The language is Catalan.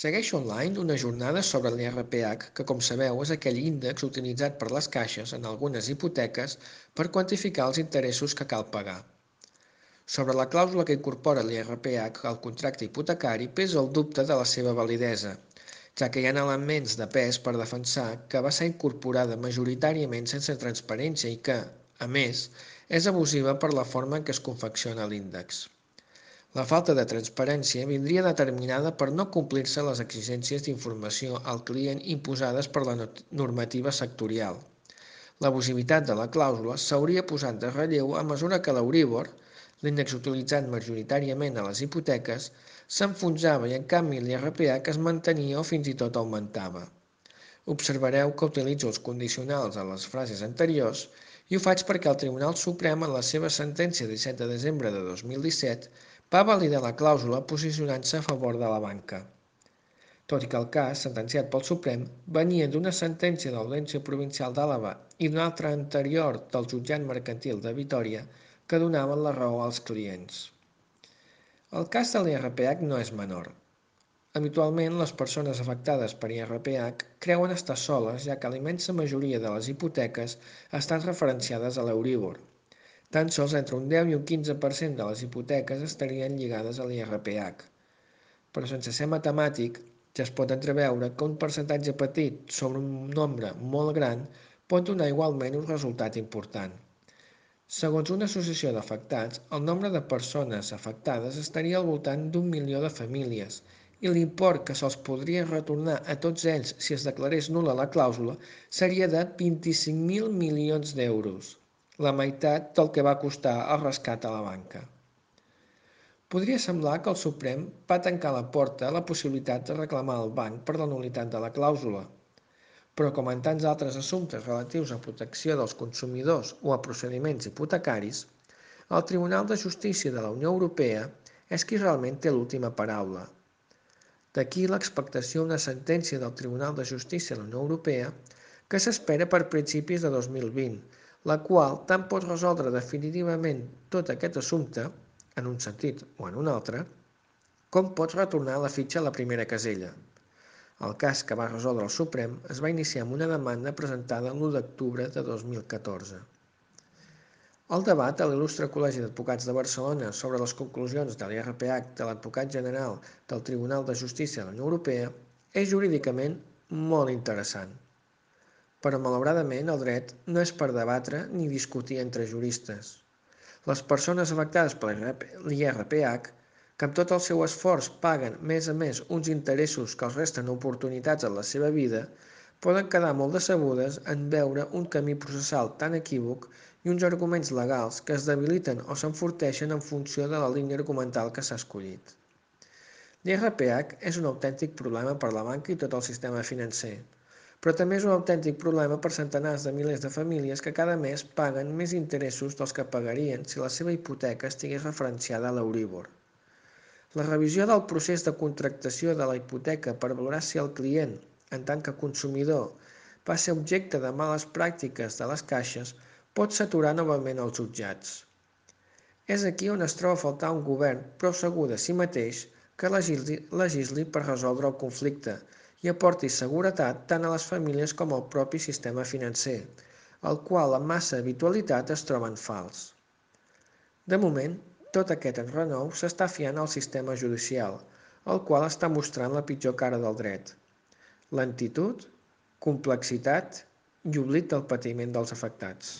Segueixo online una jornada sobre l'IRPH, que com sabeu és aquell índex utilitzat per les caixes en algunes hipoteques per quantificar els interessos que cal pagar. Sobre la clàusula que incorpora l'IRPH al contracte hipotecari pesa el dubte de la seva validesa, ja que hi ha elements de pes per defensar que va ser incorporada majoritàriament sense transparència i que, a més, és abusiva per la forma en què es confecciona l'índex. La falta de transparència vindria determinada per no complir-se les exigències d'informació al client imposades per la normativa sectorial. L'abusivitat de la clàusula s'hauria posat de relleu a mesura que l'Euríbor, l'índex utilitzat majoritàriament a les hipoteques, s'enfonsava i en canvi l'IRPH es mantenia o fins i tot augmentava. Observareu que utilitzo els condicionals a les frases anteriors i ho faig perquè el Tribunal Suprem en la seva sentència de 17 de desembre de 2017 va validar la clàusula posicionant-se a favor de la banca. Tot i que el cas, sentenciat pel Suprem, venia d'una sentència de l'Audiència Provincial d'Àlaba i d'una altra anterior del Jutjat Mercantil de Vitòria que donaven la raó als clients. El cas de l'IRPH no és menor. Habitualment, les persones afectades per IRPH creuen estar soles, ja que la immensa majoria de les hipoteques estan referenciades a l'Euríbor. Tan sols entre un 10 i un 15% de les hipoteques estarien lligades a l'IRPH. Però sense ser matemàtic, ja es pot entreveure que un percentatge petit sobre un nombre molt gran pot donar igualment un resultat important. Segons una associació d'afectats, el nombre de persones afectades estaria al voltant d'1 milió de famílies i l'import que se'ls podria retornar a tots ells si es declarés nul·la la clàusula seria de 25.000 milions d'euros, la meitat del que va costar el rescat a la banca. Podria semblar que el Suprem va tancar la porta a la possibilitat de reclamar al banc per la nul·litat de la clàusula, però com en tants altres assumptes relatius a protecció dels consumidors o a procediments hipotecaris, el Tribunal de Justícia de la Unió Europea és qui realment té l'última paraula. D'aquí l'expectació d'una sentència del Tribunal de Justícia de la Unió Europea que s'espera per principis de 2020, la qual tant pot resoldre definitivament tot aquest assumpte, en un sentit o en un altre, com pots retornar la fitxa a la primera casella. El cas que va resoldre el Suprem es va iniciar amb una demanda presentada l'1 d'octubre de 2014. El debat a l'Il·lustre Col·legi d'Advocats de Barcelona sobre les conclusions de l'IRPH de l'advocat general del Tribunal de Justícia de la Unió Europea és jurídicament molt interessant. Però malauradament el dret no és per debatre ni discutir entre juristes. Les persones afectades per l'IRPH, que amb tot el seu esforç paguen més a més uns interessos que els resten oportunitats en la seva vida, poden quedar molt decebudes en veure un camí processal tan equívoc i uns arguments legals que es debiliten o s'enforteixen en funció de la línia argumental que s'ha escollit. L'IRPH és un autèntic problema per a la banca i tot el sistema financer, però també és un autèntic problema per centenars de milers de famílies que cada mes paguen més interessos dels que pagarien si la seva hipoteca estigués referenciada a l'Euríbor. La revisió del procés de contractació de la hipoteca per valorar si el client, en tant que consumidor, va ser objecte de males pràctiques de les caixes pot saturar novament els jutjats. És aquí on es troba a faltar un govern prou segur de si mateix que legisli per resoldre el conflicte i aporti seguretat tant a les famílies com al propi sistema financer, el qual amb massa habitualitat es troba en fals. De moment, tot aquest enrenou s'està fiant al sistema judicial, el qual està mostrant la pitjor cara del dret: lentitud, complexitat i oblit del patiment dels afectats.